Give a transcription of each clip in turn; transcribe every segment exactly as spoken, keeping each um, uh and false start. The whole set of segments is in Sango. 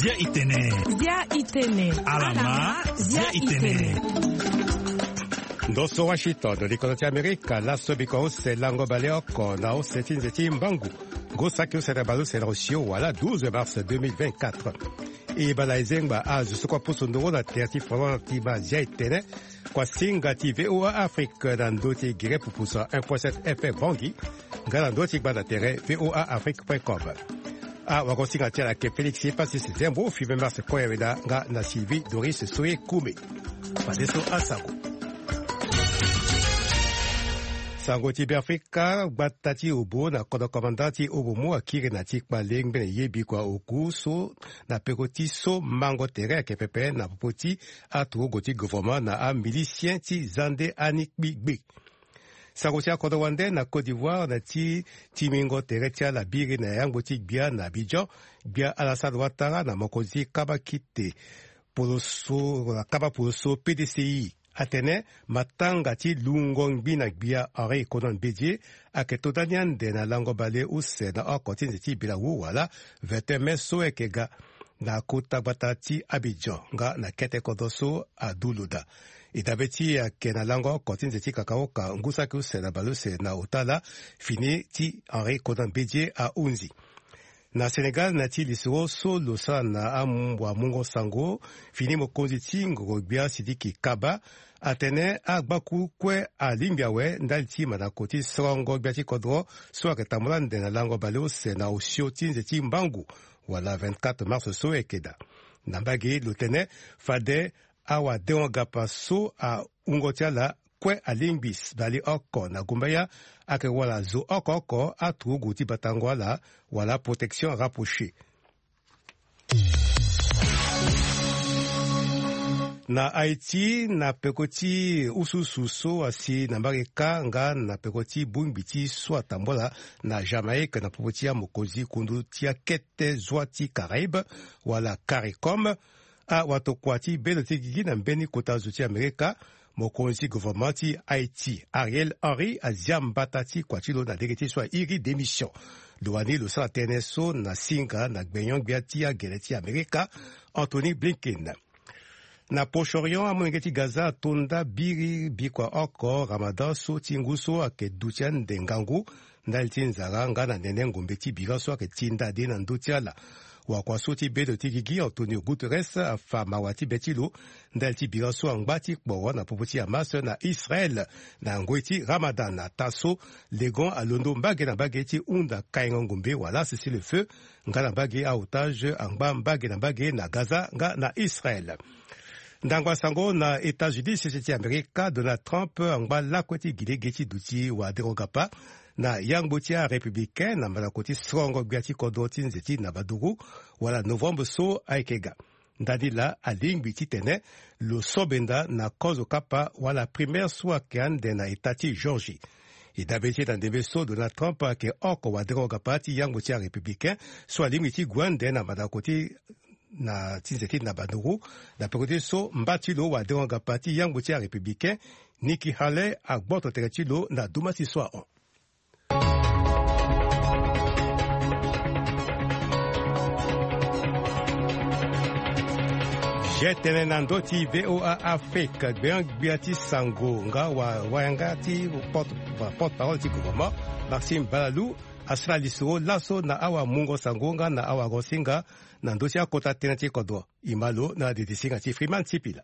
Zia itene. Zia itene. Alama. Zia itene. Ndo so Washington, likolo ti Amerika, laso biko use lango bale oko na use ti nze ti mbangu. Ngu saki use na bale use na osio wala douze mars deux mille vingt-quatre. E bala ezengba azo so kua pusu nduru na tere ti folon ti ba zia itene. Kua singa ti V O A Afrique na ndo ti gere pupusa un point sept F M Bangui. Nga na ndo ti gbanda tere V O A Afrique point com. Awagosinga ti ala ke Félix Pasis Zembo, Fibe Mars Koyaweda nga na Sylvie Doris Soye Kume. Fadeso asango. Sango ti Beafrika, gbata ti Obo na kodro komanda ti Obo mu akiri na ti kpale ngbene ye bikua oku so na peko ti so mango tere ayeke pepe na popo ti aturugu ti gouvernement na amilicien ti Zande Ani Kpi Gbe. Sango ti akodro wande na Côte d'Ivoire na ti timingo tere ti ala biri na yangbo ti gbia na Abidjan, gbia Alassane Ouattara na mokonzi kabakite poloso, kaba poloso P D C I. Atene matanga ti lungo ngbi na gbia Henri Konan Bédié ayeke to dani ande na lango bale use na oko ti nze ti bilawu wala vingt et un mai so ayeke ga na kota gbata ti Abidjan nga na kete kodro so adu lo daa. E dabe ti ayeke na lango oko ti nze ti kakaoka ngu saki use na bale use na ota laa fini ti Henri Konan Bédié ahunzi. Na Sénégal, na ti lisoro so lo sara na am-, wamungo sango, fini mokonzi ti ngoro-gbia Sidiki Kaba atene agbaku kue alingbi awe ndali ti mandako ti sorongo gbia ti kodro so ayeke tambula ande na lango bale use na osio ti nze ti mbangu wala vingt-quatre mars so ayeke daa. Na mbage lo tene fade awadengo-gapa so ahungo ti ala kue alingbi s-, bale oko na gumbaya ayeke wala zo oko oko aturugu ti batango ala wala protection rapprochée. Na Haïti, na peko ti usuusu so asi na mbage kâ nga na peko ti bongbi ti so atambula na Jamaïque na popo ti amokonzi kundu ti akete zwa ti Caraïbe wala CARICOM. Awatokua ti bendo ti gigi na mbeni kota zo ti Amerika, mokonzi gouvernement ti Haïti, Ariel Henry, azia mbata ti kua ti lo na lege ti so airi démission. Lo wani lo sara tënë so na singa na gbenyo-gbia ti agele ti Amerika, Anthony Blinken. Na Proche-Orient, amolenge ti Gaza ato nda biri bikua oko Ramadan so ti ngu so ayeke duti ande ngangu ndali ti nzara nga na nene ngombe ti bira so ayeke ti nda de na ndö ti ala. Wakua so ti bedo ti gigi Antonio Guterres afa mawa ti be ti lo ndali ti bira so angba ti kporo na popo ti Hamas na Israël na ngoi ti Ramadan. Ataa so legon alondo mbage na mbage ti hunda kaingo ngombe wala cessez-le-feu nga na mbage aotage angba mbage na mbage na Gaza nga na Israël. Ndangba sango na États-Unis, sese ti Amerika, Donald Trump angba lakue ti gi lege ti duti wadengo-gapa na yangbo ti arépublicain na mandako ti sorongo gbia ti kodro ti nze ti nabaduru wala novembre so ayeke ga. Ndani laa alingbi titene lo so benda na kozo kapa wala primaire so ayeke ande na eta ti Georgie. E dabe ti e na ndembe so Donald Trump ayeke oko wadengo-gapa ti yangbo ti arépublicain so alingbi ti gue ande na mandako ti na ti nze ti nabaduru. Na peko ti so mba ti lo wadengo-gapa ti yangbo ti arépublicain Nikki Haley agboto tere ti lo na duma ti so ahon. Ge tene na ndö ti V O A Afrique, gbenyo gbia ti sango nga wa, wayanga ti porte, porte-parole ti gouvernement, Maxime Balalou, asara lisoro laso na awamungo sango nga na awagosinga na ndö ti akota tënë ti kodro. E ma lo na dede singa ti Freeman Sipila.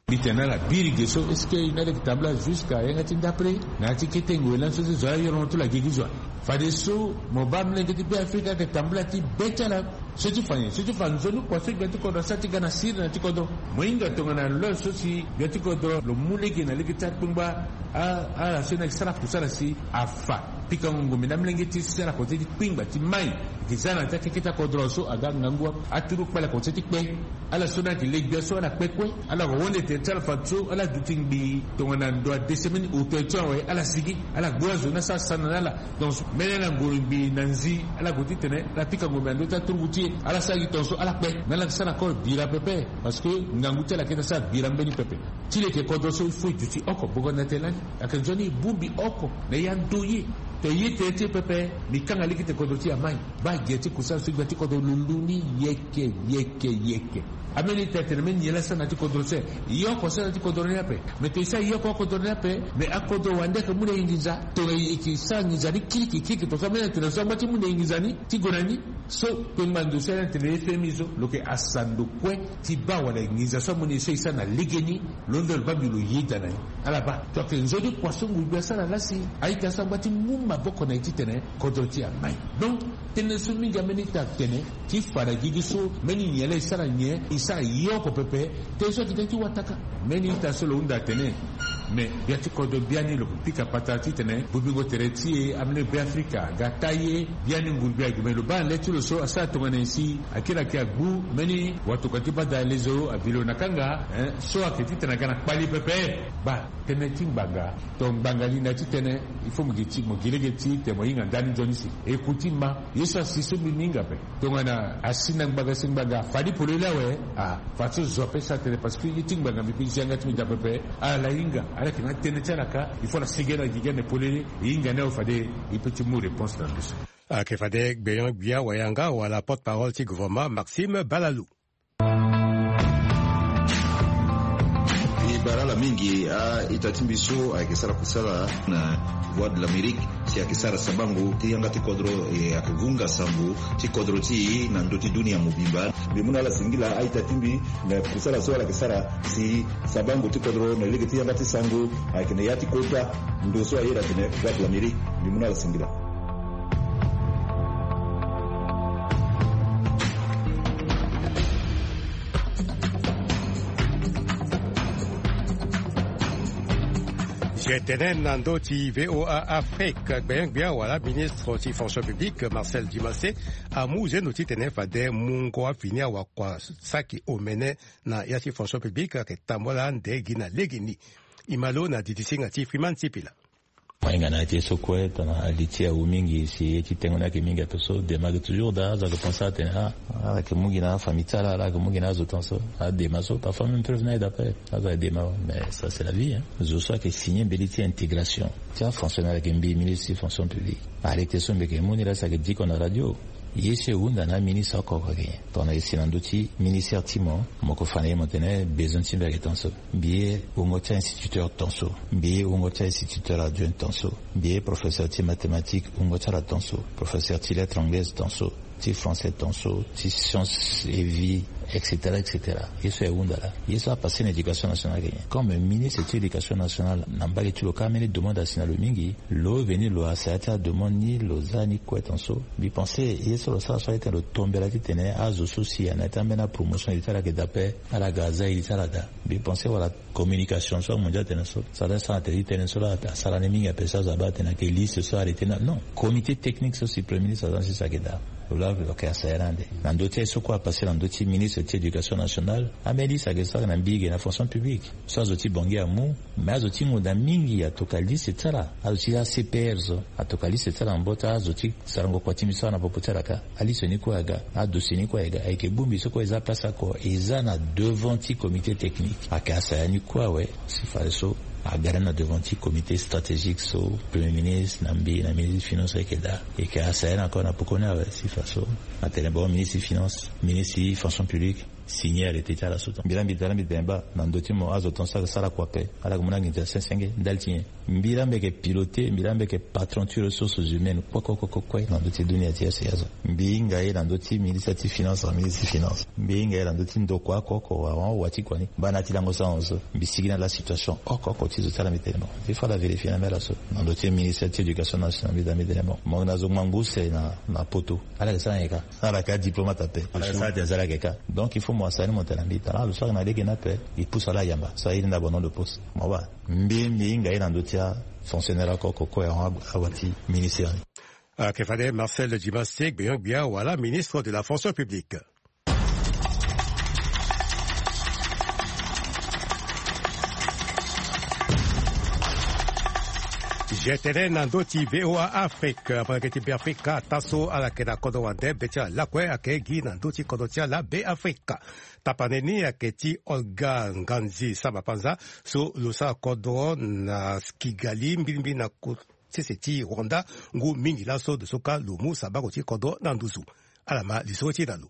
Mbi tene na ala biri ge so, est-ce que e na leke tambula jusqu'à yanga ti ndapre na ya ti kete ngoi lani so ti zo ala yoro na tula gigi zo ala. Fadeso mo baa molenge ti Beafrika ayeke tambula ti be ti ala so ti fa nyen, so ti fa nzoni kua so gbia ti kodro asara ti ga na sirina ti kodro. Mo hinga tongana lo so si gbia ti kodro lo mu lege na lege ti akpengba a, ala so e na yeke sara kusala si afa pikango ngombe na amolenge ti sara kota ti kpengba ti mai. Gi za na ya ti akeke ti akodro so aga ngangu aturu kpale kota ti kpe. Ala so ni ayeke le gbia so ala kpe kue. Ala ko wonde tene ti ala fadeso ala duti ngbii tongana ndo adese mbeni hôtel ti awe ala sigi. Ala gbu azo ni asara sana na ala. Donc mbeni ala ngoro ngbii na nzi ala gue titene ala pika ngombe na ndö ti aturugu ti e. Ala sara gi tongaso ala kpe. Mais ala yeke sara encore bira pepe. Parce que ngangu ti ala ayeke daa sara bira mbeni pepe. Ti leke kodro so il faut e duti oko bongo na tene lani. Ayeke nzoni e bongbi oko na e ando ye. To ye tene ti e pepe, mbi kanga lege ti tene kodro ti e amai. Baa gi ya ti kusala so gbia ti kodro lo lu ni yeke, yeke, yeke. Ambeni ita atene mbeni nyen laa asara na ya ti kodro so? Ye oko asara na ya ti kodro ni ape. Me to e sara ye oko kodro ni ape, me akodro wande ayeke mu na e nginza. Tongana e yeke sara nginza ni kirikiri kirikiri, to so ambeni atene so angba ti mu na e nginza ni ti gue na ni. So kpengba ndo so ayeke na tene F M I so, lo yeke asa ndo kue ti baa wala nginza so amu na e so e sara na legeni. Lo nde lo baa mbi lo yeda na ni. Ala baa, to ayeke nzoni kua so nguru gbia asara laa si a-ita so angba ti mu maboko na e titene kodro ti e amai. Donc tënë so mingi ambeni ita atene ti fa na gigi so, mbeni nyen laa e sara nyen, e sara ye oko pepe. Tënë so ayeke tënë ti wataka. Mbeni ita so lo hunda atene, me gbia ti kodro biani lo pika patara titene bobingo tere ti e ambeni Beafrika aga taille. Biani nguru gbia ague, me lo baa na le ti lo so asara tongana nyen si akiri ayeke agbu mbeni watokua ti badalezo abi lo na kanga, eh, so ayeke titene aga na kpali pepe. Baa tënë ti ngbanga, to ngbanga ni na ya ti tënë, il faut mo gi ti, mo gi lege ti tene mo hinga ndani nzoni si. E ku ti ma, ye so asi so mbi, mbi hinga ape. Tongana asi na ngbanga si ngbanga afa ni polele awe, a, fadeso zo ape sara tënë, parce que ye ti ngbanga mbi kue zi yanga ti mbi daa pepe. Ala hinga, ala yeke na tënë ti ala kâ, il faut ala sigi na gigi ande polele, e hinga ni awe fade e peut ti mu réponse na ndo so. Ayeke fade Gbeyon Gbia Wayanga wala porte-parole ti gouvernement Maxime Balalou. E bara ala mingi a-ita ti mbi so ayeke sara kusala na Voix de l'Amérique, si ayeke sara sabango ti yanga ti kodro, e ayeke vunga sango ti kodro ti e na ndö ti dunia mobimba. Mbi mu na ala singila a-ita ti mbi na kusala so ala yeke sara si sabango ti kodro na lege ti yanga ti sango ayeke na ya ti kota ndo so ayeda atene Voix de l'Amérique. Mbi mu na ala singila. G T N na ndö ti V O A Afrique, gbenyo-gbia wala ministre ti fonction publique Marcel Dimassé amu zendo titene fade mungo afini awakua saki omene na ya ti fonction publique ayeke tambula ande gi na legeni. E ma lo na didi singa ti Freeman Sipila. Ahinga na ya ti ye so kue tongana li ti e awu mingi si ye ti tengo ni ayeke mingi ape so, dema ayeke toujours daa, azo ayeke pense atene ah, ala yeke mu gi na afamille ti ala, ala yeke mu gi na azo tongaso. Adema so parfois même preuve ni aye daa ape. Azo ayeke dema awe, mais ça c'est la vie, hein. Zo so ayeke signer mbeni ti intégration ti afonctionnaire ayeke mbi ministre ti fonction publique. Arrêté so mbi yeke mu ni laa si ayeke diko na radio. Ye so e hunda na aministre oko oko ayeke nyen? Tongana e si na ndö ti ministère ti mo, mo yeke fa na ye mo tene besoin ti mbi ayeke tongaso. Mbi ye wungo ti a-instituteur tongaso. Mbi ye wungo ti a-instituteur adjoint tongaso. Mbi ye professeur ti mathématique wungo ti ala tongaso. Professeur ti lettres anglaises tongaso. Ti français tongaso. Ti science et vie, et cetera, et cetera. Ye so e hunda laa. Ye so apassé na éducation nationale ayeke nyen? Comme ministre ti éducation nationale, na mbage ti lo kâ ambeni demande asi na lo mingi. Lo veni lo asaya ti ademande ni, lo za ni kue tongaso. Mbi pense ye so lo sara so aye tene lo tombela titene azo so si ayeke na ya ti ambeni apromotion iri ti ala ayeke daa ape, ala ga aza iri ti ala daa. Mbi pense wala communication so amondia atene so, so ala sara na tene ti tënë so laa asara ni mingi ape so azo abaa atene ayeke liste so arrêté ni. Non, comité technique so si premier ministre aza ni si so ayeke daa. Lo laa lo yeke asaya ni ande. Na ndö ti aye so kue apassé na ndö ti ministre ti éducation nationale, ambeni liste ayeke sara na mbi ge na fonction publique. So azo ti Bangui amu, mais azo ti ngonda mingi atoka liste ti ala. Azo ti A C P R so atoka liste ti ala na mbo ti azo ti sarango kua ti mbi so ana popo ti ala kâ. Aliste ni kue aga, adossier ni kue aga, ayeke bongbi so kue eza place oko, eza na devant ti comité technique. Ayeke asaya ni kue awe, si fadeso aga ni na devant ti comité stratégique so premier ministre na mbi na ministre ti finance ayeke daa. E yeke asaya ni encore na poko ni awe, si fadeso atene bon, ministre ti finance, ministre ti fonction publique, signer arrêté ti ala so. Mbi laa mbi tene, mbi tene baa na ndö ti mo azo tongaso ayeke sara kua ape, ala yeke mu na nginza senge senge ndali ti nyen? Mbi laa mbi yeke piloté, mbi laa mbi yeke patron ti ressources humaines kue kue kue kue na ndö ti dunia ti azo. Mbi hinga ye na ndö ti ministre ti finance, na ministre ti finance. Mbi hinga ye na ndö ti ndokua oko oko, awara wa ti kua ni. Baa na ya ti lango sango so mbi sigi na ala situation oko oko ti zo ti ala, mbi tene bon, il faut ala vérifier na mbi ala so. Na ndö ti ministre ti éducation nationale, mbi daa mbi tene bon, mo yeke na zo ngbangbo use na, na poto. Ala yeke sara nyen kâ? Ala yeke adiplomate ape. Ala yeke sara ti aza ala yeke kâ. Donc il faut mo asara ni mo tene na mbi tara lo so ayeke na lege ni ape, e pousse ala ayamba so aye ni na abandon de poste. Mo baa, mbi, mbi hinga ye na ndö ti afonctionnaire oko oko kue ahon awa ti ministère ni. Ayeke fade Marcel Dimassé, gbenyo-gbia wala ministre de la fonction publique. G T N na ndö ti V O A Afrique, apara yeke ti Beafrika, taa so ala yeke na kodro wande be ti ala lakue ayeke gi na ndö ti kodro ti ala Beafrika. Tapane ni ayeke ti Olga Nganzi Samba Panza, so lo sara kodro na Kigali, mbirimbiri na ko-, sese ti Rwanda ngu mingi laso de so ka lo mu sabako ti kodro na nduzu. Ala ma lisoro ti e na lo.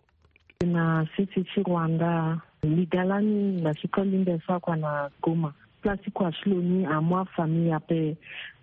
Na sese ti Rwanda, liga lani na sikoli mbi sara kua na Goma. Place ti kua ti lo ni amu afamille ape.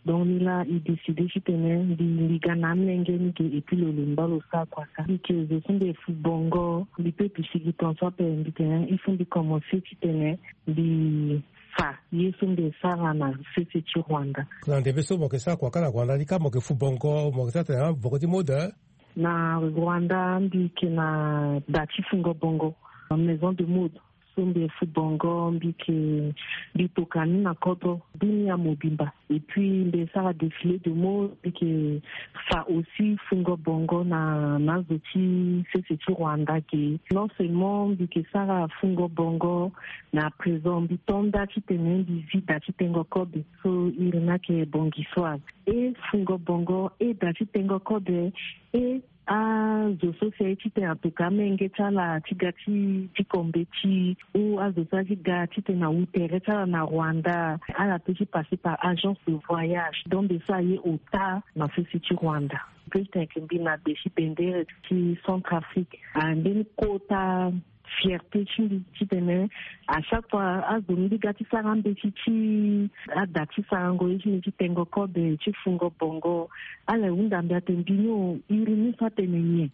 Donc ni la e décide titene mbi liga na amolenge ni ge et puis lo lemba lo sara kua ka. Mbi ke zo so mbi fu bongo, mbi pe pisigi tonso ape, mbi tene il faut mbi commencer titene mbi fa ye so mbi sara na sese ti Rwanda. Na ndembe so mo ke sara kua ka na Rwanda ni ka mo ke fu bongo, mo ke sara tene na boko ti mode? Na Rwanda mbi ke na da ti fungo bongo, maison de mode. So mbi fu bongo, mbi ke, mbi toka ni na kodro dunia mobimba. Et puis mbi sara défilé de mode, mbi ke fa aussi fungo bongo na, na zo ti sese ti Rwanda ge. Non seulement mbi ke sara fungo bongo, mais à présent mbi to nda titene mbi zi da ti tengo kobe. So iri ni ayeke bongisoise. E fungo bongo, e da ti tengo kobe, e azo so si aye titene atoka amenge ti ala ti ga ti, ti kombe ti, ou azo so aye ti ga titene awu tere ti ala na Rwanda, ala peut ti passer par agence de voyage. Donc de so aye ota na sese ti Rwanda. Peut ti tene ke mbi na gbe ti bendere ti Centrafrique. Ah, mbeni kota fierté ti mbi titene à chaque fois azo mbi ga ti sara mbeti ti ada ti sarango ye ti mbi ti tengo kobe ti fungo bongo. Ala hunda mbi atene mbi ni o, iri ni so atene nyen?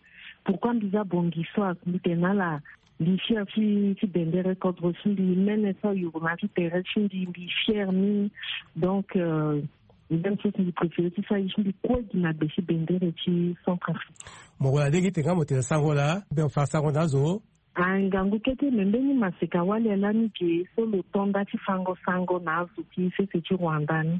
Pourquoi mbi za bongisoise? Mbi tene na ala mbi fier ti, ti bendere kodro ti mbi, mene so ayuru na ya ti tere ti mbi, mbi fier ni. Donc euh, même chose mbi préféré ti sara ye ti mbi kue gi na gbe ti bendere ti Centrafrique. Mo wara lege ti tene nga mo tene sango laa, be mo fa sango na azo. Ah, ngangu kete, me mbeni maseka wali lani ge so lo to nda ti fango sango na azo ti sese ti Rwanda ni.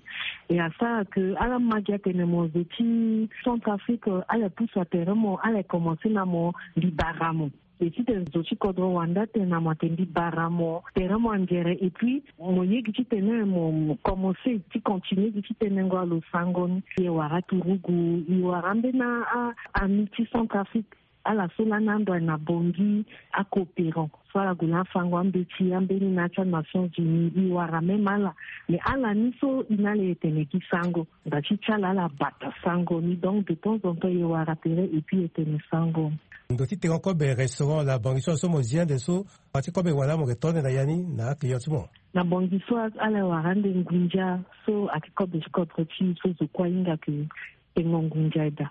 E asara ke ala ma gi atene mo zo ti Centrafrique, ala pusu atere mo, ala commencer na mo mbi bara mo. E titene zo ti kodro Rwanda atene na mo atene mbi bara mo, tere mo angere, et puis mo ye gi titene mo, mo commencer ti continuer gi ti tenengo alo sango ni. E wara turugu, e wara mbeni a, a, ami ti Centrafrique. Ala so lani ando aye na Bangui, acoopérant. So ala gue na afango ambeti, ambeni na ya ti aNations Unies, e wara même ala. Mais ala ni so e na ala e tene gi sango. Nda ti ti ala ala bata sango ni. Donc de temps en temps e wara tere et puis e tene sango. Ndo ti tengo kobe restaurant la Bangui so, so mo zi ande so, pa ti kobe wala mo ke to ande na ya ni na aclient ti mo? Na Bangui so ala e wara ande ngunza so ayeke kobe ti kodro ti e so zo kue ahinga ke tengo ngunza daa.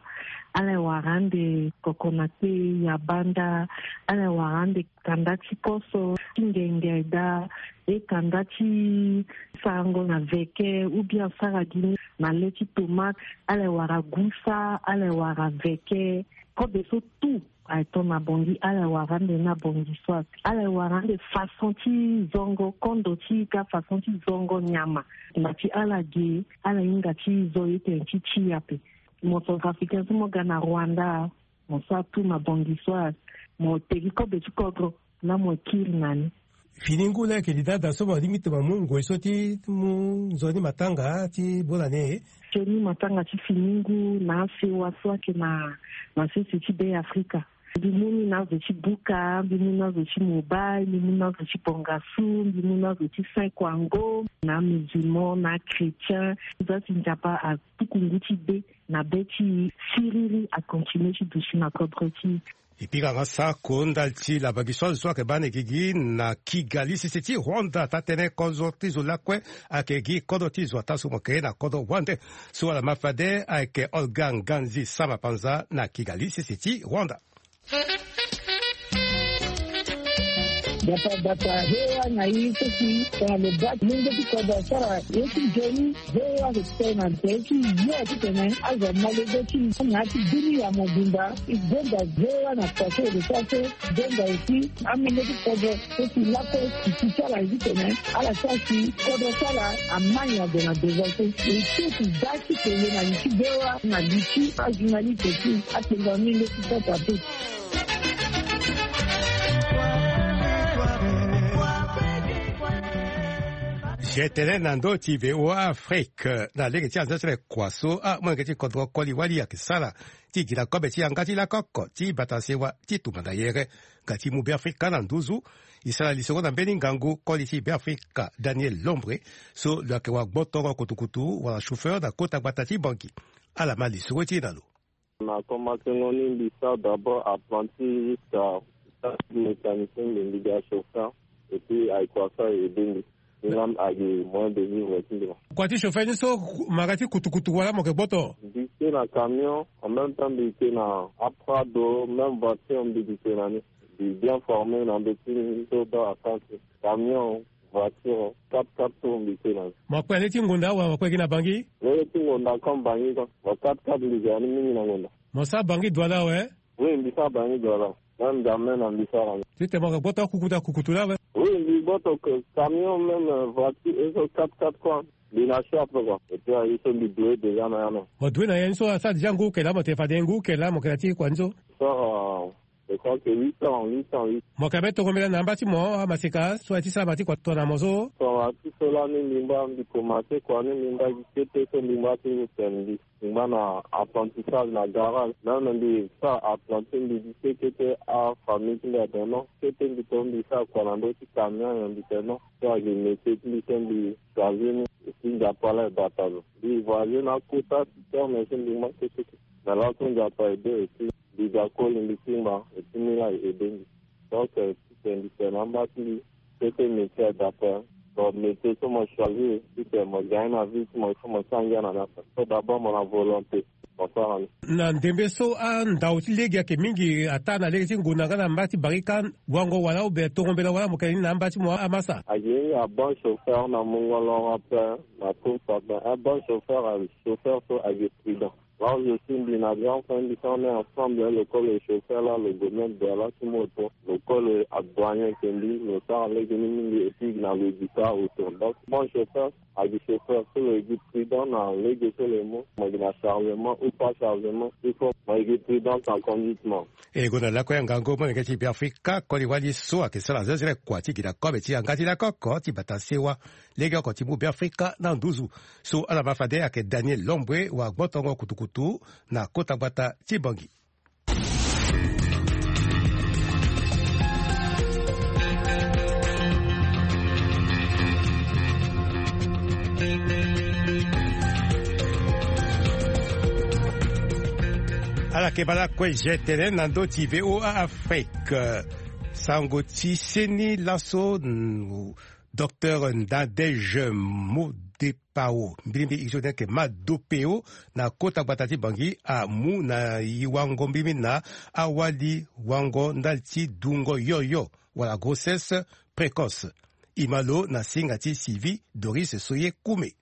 Ala e wara ande kokonate, yabanda, ala e wara ande kanda ti koso, ti ngenge daa, e kanda ti sarango na veke, ou bien asara gi ni na le ti tomate, ala e wara gusa, ala e wara veke, kobe so tout. Aye to na Bangui, ala e wara ande na Bangui soit. Ala e wara ande façon ti zongo, kondo ti ka façon ti zongo nyama. Na ti ala ge, ala hinga ti zo ye tene ti ti ape. Mo Centrafricain so mo ga na Rwanda, mo sara tout na Bangui soit. Mo tegi kobe ti kodro, na mo kiri na ni. Fini ngu laa ayeke li daa daa so mo lingbi ti mo mu ngoi so ti mu nzoni matanga ti bonane e? Nzoni matanga ti fini ngu na asewa so ayeke na, na sese ti Be Afrika. Mbi mu ni na azo ti buka, mbi mu na azo ti mobile, mbi mu na azo ti bongasu, mbi mu na azo ti Saint Kwango, na amusulman, na achrétien. Za si Nzapa atuku ngu ti be na be ti e, siriri akontinue ti duti na kodro ti e. E pika nga sako ndali ti la Bangui soit zo so ayeke baa na e gigi na Kigali, sese ti Rwanda. Taa-tënë kozo ti zo lakue ayeke gi kodro ti zo ataa so mo yeke na kodro wande. So ala ma fade ayeke Olga Nganzi Sama Panza na Kigali, sese ti Rwanda. Bata bata, V O A na e so si tongana lo baa ti mungo ti kodro asara ye ti nzoni. V O A ayeke tene na nze ti yo titene azo amolenge ti na ya ti dunia mobimba. E gonda V O A na pase de sara so, gonda aussi amolenge ti kodro so si lakue si ti ti ala ye titene ala sara si kodro ti ala ama nyango na devant so. E so si da ti tene na li ti V O A na li ti ajournaliste ti atenga amolenge ti kodro ape. Titene na ndö ti VOA Afrique na lege ti anzia ti le kua so amolenge ti kodro koli wali ayeke sara ti gi na kobe ti yanga ti lakoko ti bata sewa ti tumba na yere nga ti mu Beafrika na nduzu. E sara lisoro na mbeni ngangu koli ti Beafrika Daniel Lombre so lo yeke wa gbotongo kutukutu wala chauffeur na kota gbata ti Bangui. Ala ma lisoro ti e na lo. Na komansengo ni mbi sara d'abord apprenti jusqu'à mécanicien, mbi mbi ga chauffeur. Et puis ayeke wasa e aidé mbi. Ni laa mbi ayeke moyen de vivre ti mbi laa. Kua ti chauffeur ni so, mara ti kutukutu wala mo yeke gboto? Mbi ke na camion, en même temps mbi ke na aprado, même voiture mbi ke na ni. Mbi bien formé na ndö ti ni so baa asara ti camion, voiture, quatre-quatre tours mbi ke na ni. Mo kpe na lege ti ngonda awe, mo kpe gi na Bangui? Lege ti ngonda comme Bangui quoi. Mo quatre-quatre mbi ke na ni mingi na ngonda. Mo sara Bangui Douala awe? Oui, mbi sara Bangui Douala. Même jamais na mbi sara ni. Titene mo yeke gboto akukutu akukutu laa awe? Oui, mbi gboto que camion, même, euh, voiture, et so quatre-quatre quoi. Mbi na chape quoi. Et puis aye so mbi doye déjà na ya na. Mo doye na ya ni so asara déjà ngu eke laa, mo tene fade ngu eke laa mo yeke na ti kua ni so? Sara, euh, je crois que huit ans, huit ans, huit. Mo yeke ambeni tongo mbela na amba ti mo amaseka so aye ti sara ma ti kua tongana mo so? Tongana ti so lani mbi ngba mbi commencé kua ni mbi ngba gi kete so mbi ngba ti tene mbi. Mbi ngba na apprentissage na garage. Même mbi sara apprenti mbi gi kete kete afamille ti mbi atene non. Kete mbi to mbi sara kua na ndö ti camion nyen mbi tene non. So ayeke métier ti mbi so mbi choisir ni. Et puis Nzapa laa e bata lo. Mbi voyager na akota ti terme so mbi ngba kete kete. Mais laso Nzapa aidé et puis mbi ga koli mbi ti ngba et puis ni laa e aidé mbi. Donc, euh, titene mbi tene na amba ti mbi, kete métier adapté. Donc métier so mo choisir, titene mo gagner na vie ti mo, il faut mo sara ngia na ni ape. So d'abord mo na volonté, mo sara ni. Na ndembe so andau ti lege ayeke mingi ataa na lege ti ngonda nga na mba ti barika, wango wala ou bien tongo mbela wala mo yeke ni na amba ti mo amasa? Ayeke ni a bon chauffeur na mungo loro ape, na course ape. Un bon chauffeur, un chauffeur so ayeke prudent. Là où je suis, mbi na grand frère mbi so on est ensemble, lo koli lo chauffeur là, lo gue même Douala ti moto, lo koli lo adouane ayeke mbi, lo sara lege ni mingi, et puis na lo duka autour. Donc bon chauffeur, ayeke chauffeur so lo yeke prudent na lege so lo ye mu, mo yeke na chargement ou pas chargement, il faut mo yeke prudent na conduite mo. E gonda lakue ngangu molenge ti Beafrika koli wali so ayeke sara zezele kua ti gi na kobe ti yanga ti lakoko ti bata sewa. Lege oko ti mu Beafrika na nduzu. So ala ma fade ayeke Daniel Lombue wa gbotongo kutukutu na kota gbata ti Bangui. Ala yeke baa lakue je tene na ndö ti VOA Afrique. Sango ti seni laso, mm, Docteur Nadège Modepao, mbirimbiri e so ni ayeke Madopeo, na kota gbata ti Bangui amu na e wango mbirimbiri na awali wango ndali ti dungo yoyo wala grossesse précoce. E ma lo na singa ti Sylvie Doris Soye Koume.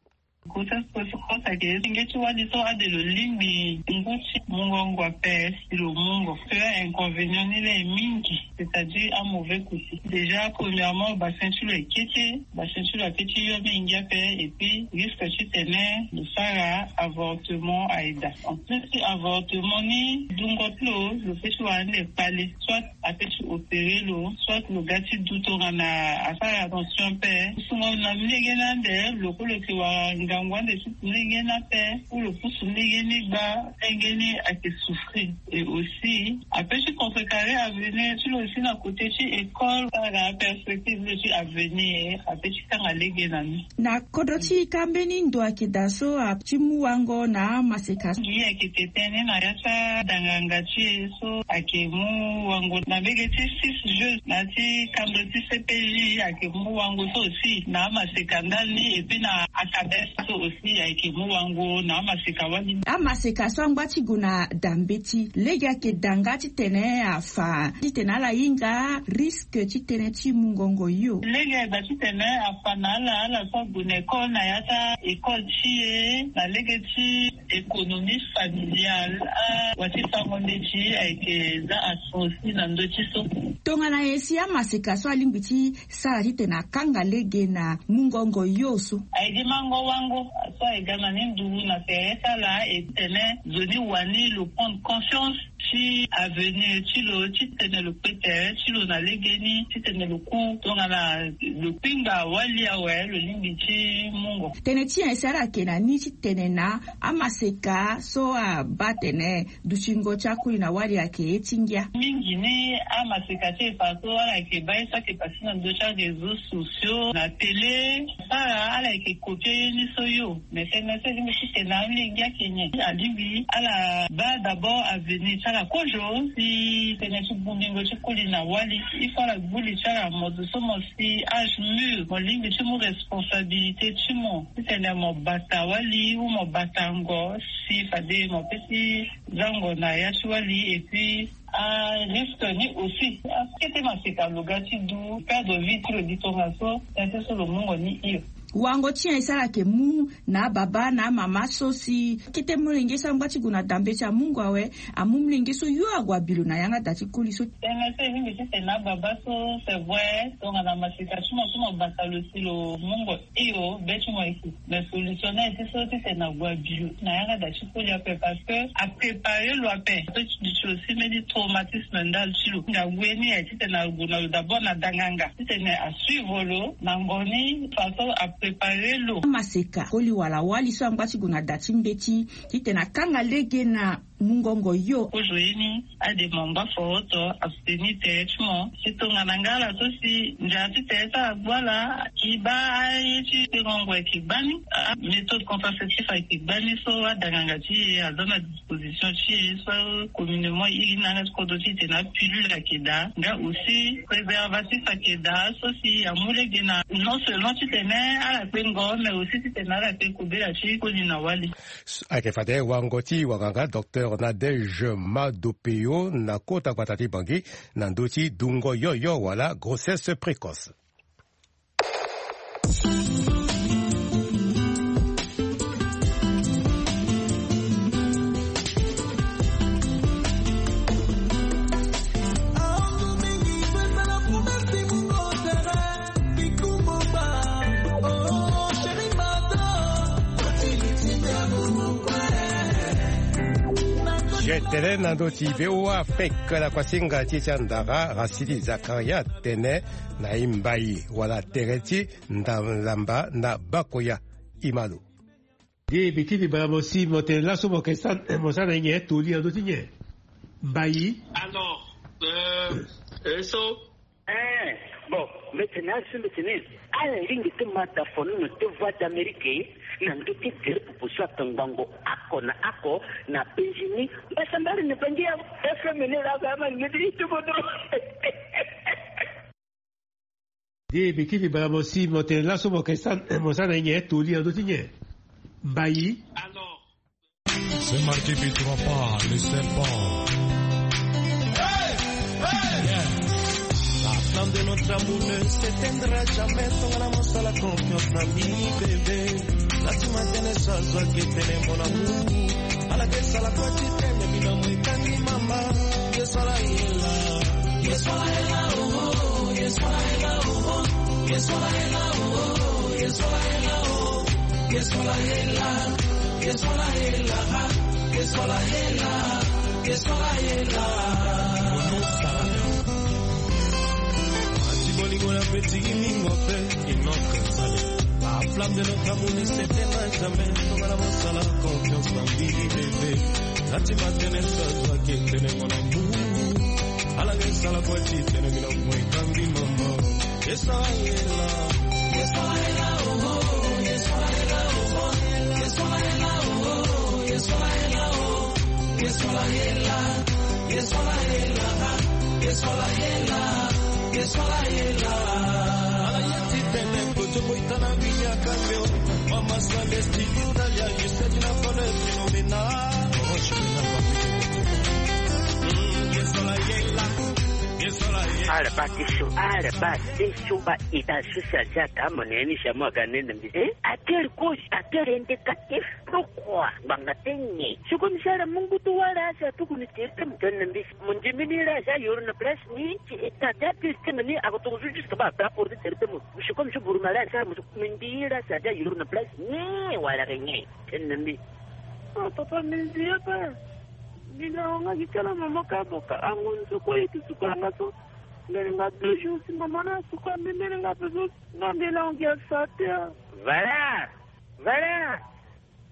Grossesse précoce ayeke nge ti wali so ade lo lingbi ngu ti mungo ngu ape si lo mungo. Parce que inconvénient ni laa e mingi, c'est-à-dire amauvais côté. Déjà premièrement, bassin ti lo ayeke kete, bassin ti lo ayeke ti yo mingi ape, et puis risque titene lo sara avortement ayeke daa. En plus ti avortement ni, dungo ti lo, lo peut ti wara ande kpale, soit ape ti opérer lo, soit lo ga ti du tongana asara attention ape. Sungo na ndenge ni ande, lo kue lo yeke wara ngangu ande ti ndenge ni ape, ou lo pusu ndenge ni gba, ndenge ni ayeke souffrir. Et aussi ape ti contrecarrer avenir ti lo aussi na côté ti école, sara perspective ti avenir, ape ti kanga lege na ni. Na kodro ti ka mbeni ndo ayeke daa so a ti mu wango na amaseka? Ye ayeke tene na ya ti adanganga ti e so ayeke mu wango na mbege ti six jeux na ya ti kando ti C P J, ayeke mu wango so aussi na amaseka ndali, et puis na akabes so aussi ayeke mu wango na amaseka wali. Amaseka so angba ti gue na da mbeti, lege ayeke daa nga titene afa titene ala hinga risque titene ti mungongo yo? Lege aye daa titene afa na ala, ala so ague na école na ya ti a-école ti e na lege ti économie familiale, a wa ti fango ndeti ayeke za aso aussi na ndö ti so. Tongana nyen si amaseka so alingbi ti sara titene akanga lege na mungongo yo so? Ayeke mango wango so ayeke ga na ni nduzu na tere ti ala, e titene nzoni wani lo prendre conscience ti avenir ti lo titene lo kpe tere ti lo na legeni titene lo ku tongana lo kpingba wali awe lo lingbi ti mungo. Tënë ti nyen si ala yeke na ni titene na amaseka so abaa atene dutingo ti akuli na wali ayeke ye ti ngia? Mingi ni amaseka ti e fa so ala yeke baa ye so ayeke pase na ndö ti aréseau sociaux na télé. Sara ala yeke kopie ye ni so yo. Mais tënë so e lingbi titene na amolenge ayeke nyen? Alingbi ala baa d'abord avenir ti ala kozo. Si tënë ti bongbingo ti koli na wali, il faut ala gbu li ti ala mo zo so mo si âge mûr, mo lingbi ti mu responsabilité ti mo titene mo bata wali ou mo bata ngo. Si fade mo pesi zango na ya ti wali. Et puis arisque ni aussi akete maseka lo ga ti du perdre vie ti lo di tongaso tënë so lo mungo ni hio. Wango ti nyen e sara ayeke mu na ababa na amama so si kete molenge so angba ti gue na dambe ti amungo awe, amu molenge so yo ague abi lo na yanga da ti koli so. Tënë so e lingbi titene na ababa so c'est vrai tongana maseka ti mo so mo bata lo si lo mungo hio be ti mo eke. Mais solution ni aye ti so titene ague abi lo na yanga da ti koli ape parce que aprépare lo ape. Ape ti duti aussi mbeni traumatisme ndali ti lo nga gue ni aye titene ague na lo d'abord na danganga titene asuivre lo na ngo ni façon aprépare lo. Amaseka koli wala wali so angba ti gue na da ti mbeti titene akanga lege na mungongo yo. Kozo ye ni ade mo ngba foroto abstenir tere ti mo. Si tongana nga ala so si nzara ti tere ti ala gbu ala ki baa aye ti tengo ngoi ki gbani. Méthode contraceptif ayeke gbani so adanganga ti e aza na disposition ti e so communément iri ni na yanga ti kodro ti e tene apilule ayeke daa nga aussi préservatif ayeke daa so si amu lege na non seulement titene ala kpe ngo mais aussi titene ala kpe kobela ti koli na wali. Ayeke fade wango ti wanganga docteur Nadège Madopeyo na kota gbata ti Bangui na ndö ti dungo yoyo wala grossesse précoce. Tene na ndö ti V O A Afrique na kuasinga ti e ti andara Rasidi Zakaria atene na e mbai wala tere ti ndalamba na Bakoya. Imalo. Ye mbi kiri bara mo si mo tene laso mo yeke sara na e nyen toli na ndö ti nyen? Mbai. Alors euh, euh, so Eh, bon, mbi tene azo mbi tene ala lingbi ti ma da fonono ti Voix d'Amérique na ndö ti tere popo so akangbango oko na oko na penzi ni. Mbasambala na bangi ya F M ni laa ka ama lingbi ti ti kodro. Ye mbi kiri bara mo si mo tene laso mo yeke sara na e nyen toli na ndö ti nyen? Mbai. Alors. Ce mardi, tu ne pas le serpent. La flamme de notre amour ne s'éteindra jamais. Tongana mosala confiance na mbi bébé. Nati matene so azwaki etene mon amour. Ala ke sala kua ti tene bino mo ekangi mama. Ye so ala yela. Ye so ala yela, oh, oh, ye so ala yela, oh, oh. Ye so ala yela, oh, oh, ye so ala yela, oh, oh. Ye so ala yela. Ye so ala yela, ah. Ye so ala yela, ye so ala yela. Ati bolingo na petit mingo pe. La flamme de notre amour ne s'éteindra jamais. Tongana mosala confiance na mbi bébé. Nati matene so azwaki etene mon amour. Ala ke sala kua ti tene bino mo ekangi mama. Ye so ala yela. Ye so ala yela, oh, oh, ye so ala yela, oh, oh. Ye so ala yela, oh, oh, ye so ala yela, oh. Ye so ala yela. Ye so ala yela, ah. Ye so ala yela, ye so ala yela. Ala ye ti tene kozo mo itana binyaka mio. Mama Sande style Italia, you said you not gonna feel me now. Mm, ye so ala yela. Ye so ala yela. Ala ba ti so, ala ba ti so ba ita social jaka mo ne ni sa mo aga ne na mbi. Eh? Atel kozi, atel indicatif. Pourquoi? Ngbanga ti nyen? Si comme ça la mungu ti wara asi atuku ni tere ti mo tene na mbi. Mo ndimi ni la asi ayoro na place ni ti e ta ti atel ti mo ni ako toko so jusque ba rapporter tere ti mo. Si comme so buruma la asi mo so mindi la asi ayoro na place ni wala ke nyen? Tene na mbi. Oh papa, mindi ye pe. Ni na nga gi kala mama ka boka ango ni so ko yeke suka nga so. Mbele nga deux jours si mama na suka mbe mbele nga pe so. Nga mbele ango gi asa te a. Valeur. Valeur.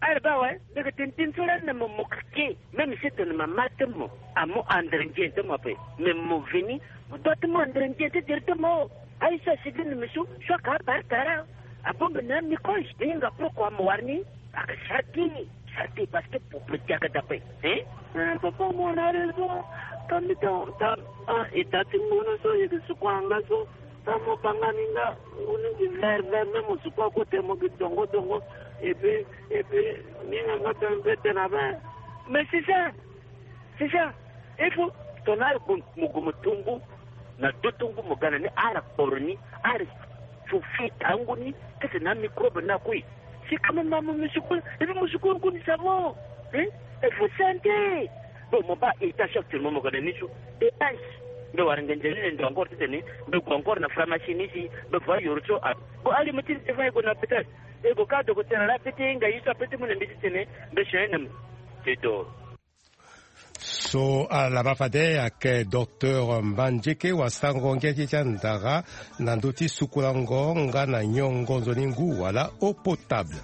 Ala baa awe, mbi yeke tene tënë so lani na mo mo keke. Même si tene mama ti mo amu andre nzoni ti mo ape, mais mo veni, mo doit ti mo andre nzoni ti directement. Aye so asigi na mbi so, so aka abare kara. Abongbi na microbe, mbi hinga pourquoi mo wara ni? Aka sara ti, sara ti parce que pour protéger aka dape. Hein? Eh, papa, mo na raison. Ka mbi ta, ta, ah, e ta ti ngunu so, e yeke suku anga so. Tamo banga ni nga, ngunu gi vert vert, même mo suku akote mo gi dongo dongo. Et puis, et puis, ni nga nga tene mpe tene abe. Mais c'est ça, c'est ça. Il faut, tongana mo gue mo tumbu, na do tumbu mo ga na ni, ala kporo ni, ala sufi tangu ni, kese na microbe na kue. Si quand même mo suku, et puis mo suku ngu ni savon. Hein? Il faut santé. Bon, mo baa étage actuellement mo ga na ni so. Étage. Mbe wara ngenze ni na ndo encore titene mbe gue encore na pharmacie ni si mbe voie yoro so a. Bon, ali mo ti ni te fa e gue na hôpital. E gue ka dogo tene ala pete nga ye so apete mu na mbi titene mbe changer na mo. C'est tout. So ala ma fade ayeke docteur Mbanzeke wasango ngia ti ti andara na ndö ti sukulango nga na nyongo nzoni ngu wala eau potable.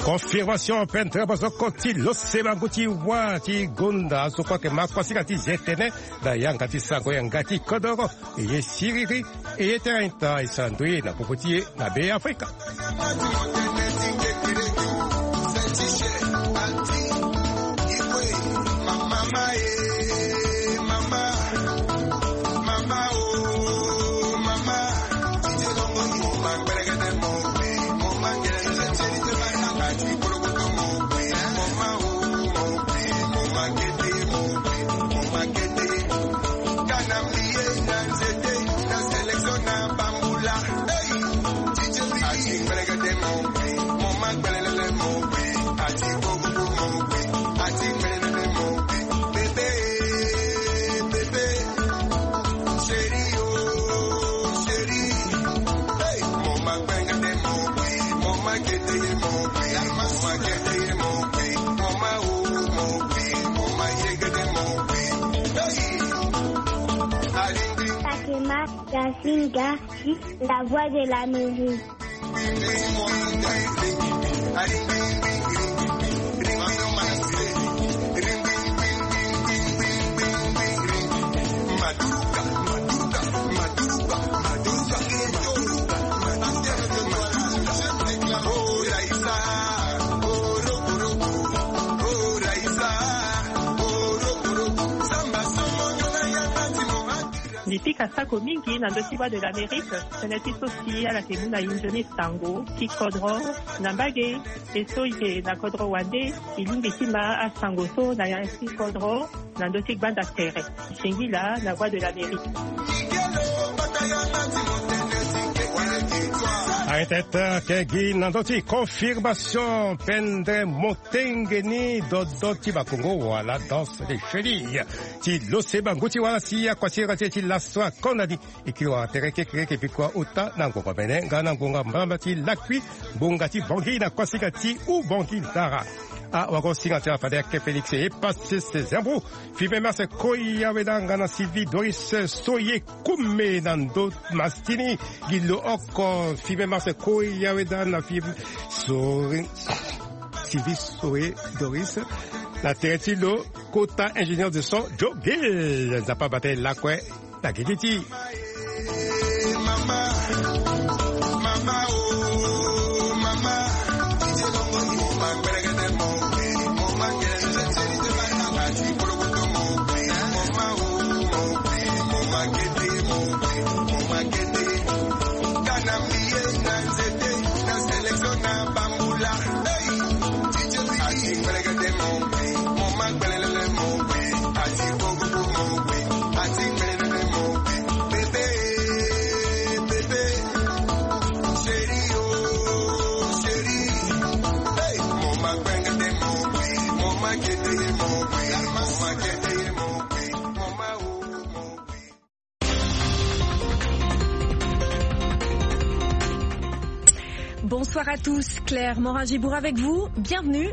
Confirmation pendre bosoko ti lose bangu ti wa ti gonda so kue ayeke ma kuasinga ti zetene na yanga ti sango yanga ti kodoro. E ye siriri, e ye tënë ita e sara ndö ye na popo ti e na Be Afrika. Takema Gasinga, la voix de l'Amérique. Mbi pika sako mingi na ndö ti Voix de l'Amérique, tënë ti so si ala yeke mu na e nzoni sango ti kodro na mbage. E so e yeke na kodro wande, e lingbi ti ma asango so na ya ti kodro na ndö ti gbanda tere. Singila na Voix de l'Amérique. Aye tete ayeke gi na ndö ti confirmation pendre motenge ni dodo ti bakongo wala danse de chevilles ti lose bangu ti wala si akuasira ti e ti laso akonda ni. E kiri wara tere kekereke bikua ota na ngonga mene nga na ngonga mbamba ti lakui, ngonga ti bangi na kuasinga ti ubangi ndara. Awagosinga ti ala fade ayeke Félix e pase sezembu. Five mars koi aweda nga na Sylvie Doris so ye kume na ndo masitini gi lo oko. Five mars koi aweda na Five Sori Sylvie Soe Doris na tere ti lo kota ingénieur de son Joe Gill. Nzapa bata e lakue na gigi ti. Bonsoir à tous, Claire Morin-Gibourg avec vous. Bienvenue